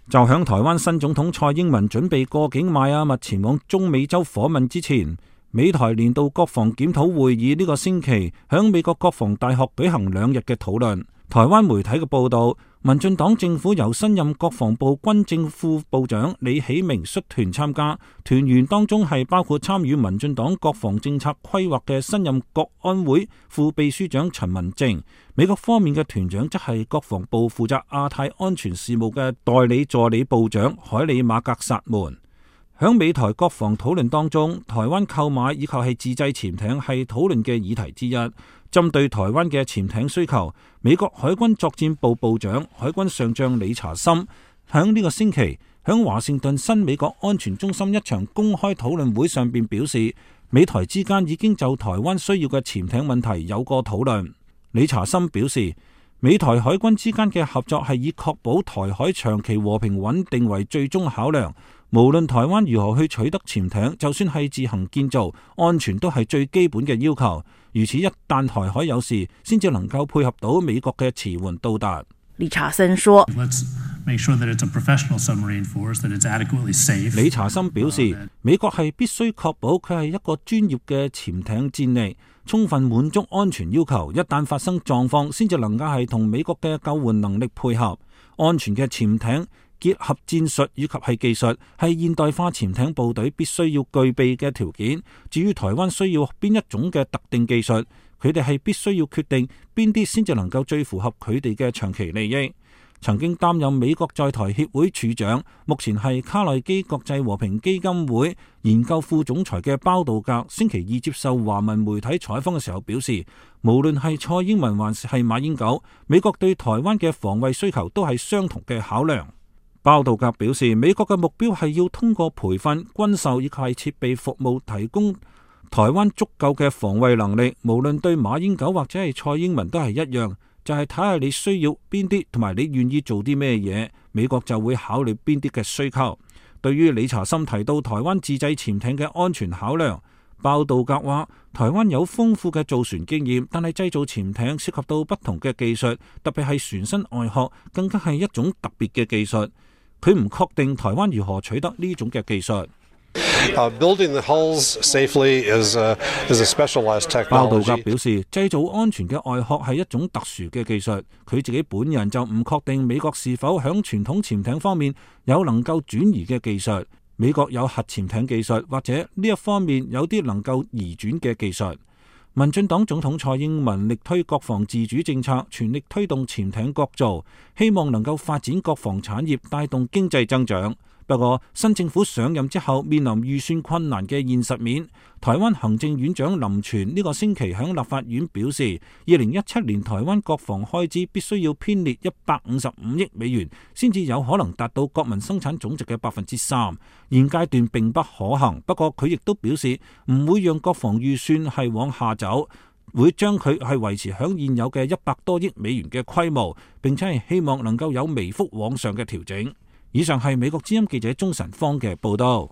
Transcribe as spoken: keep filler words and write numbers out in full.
就響台灣新總統蔡英文準備過境邁阿密前往中美洲訪問之前，美台年度國防檢討會議呢個星期響美國國防大學舉行兩日嘅討論。台灣媒體嘅報道，民進黨政府由新任國防部軍政副部長李喜明率團參加，團員當中係包括參與民進黨國防政策規劃嘅新任國安會副秘書長陳文正。美國方面嘅團長則係國防部負責亞太安全事務嘅代理助理部長海里馬格薩門。響美台國防討論當中，台灣購買以及係自製潛艇係討論嘅議題之一。針對台灣嘅潛艇需求，美國海軍作戰部部長海軍上將理查森響呢個星期響華盛頓新美國安全中心一場公開討論會上邊表示，美台之間已經就台灣需要嘅潛艇問題有過討論。理查森表示，美台海軍之間嘅合作係以確保台海長期和平穩定為最終考量，無論台灣如何去取得潛艇，就算係自行建造，安全都係最基本嘅要求。如此一旦台海有事，先至能夠配合到美國嘅馳援到達。理查森說，理查森表示，美國係必須確保佢係一個專業嘅潛艇戰力，充分滿足安全要求。一旦發生狀況，先至能夠係同美國嘅救援能力配合。安全嘅潛艇結合戰術以及係技術，係現代化潛艇部隊必須要具備嘅條件。至於台灣需要邊一種嘅特定技術，佢哋係必須要決定邊啲先至能夠最符合佢哋嘅長期利益。曾經擔任美國在台協會處長，目前係卡內基國際和平基金會研究副總裁嘅包道格，星期二接受華文媒體採訪嘅時候表示，無論係蔡英文還是係馬英九，美國對台灣嘅防衛需求都係相同嘅考量。包道格表示，美國嘅目標係要通過培訓、軍售以及係設備服務，提供台灣足夠嘅防衛能力。無論對馬英九或者係蔡英文都係一樣，就係睇下你需要邊啲，同埋你願意做啲咩嘢，美國就會考慮邊啲嘅需求。對於理查森提到台灣自製潛艇嘅安全考量，包道格話，台灣有豐富嘅造船經驗，但係製造潛艇涉及到不同嘅技術，特別係船身外殼，更加係一種特別嘅技術。佢唔確定台灣如何取得呢種嘅技術。Uh, building the hulls safely is a, is a specialized technology. 包道格表示，製造安全嘅外殼係一種特殊嘅技術。佢自己本人就唔確定美國是否響傳統潛艇方面有能夠轉移嘅技術。美國有核潛艇技術，或者呢一方面有啲能夠移轉嘅技術。民進黨總統蔡英文力推國防自主政策，全力推動潛艇國造，希望能夠發展國防產業，帶動經濟增長。不過，新政府上任之後，面臨預算困難嘅現實面。台灣行政院長林全呢個星期喺立法院表示，二零一七年台灣國防開支必須要編列一百五十五億美元，先至有可能達到國民生產總值嘅百分之三。現階段並不可行。不過佢亦都表示，唔會讓國防預算係往下走，會將佢係維持響現有嘅一百多億美元嘅規模，並且係希望能夠有微幅往上嘅調整。以上係美國之音記者鍾晨芳嘅報道。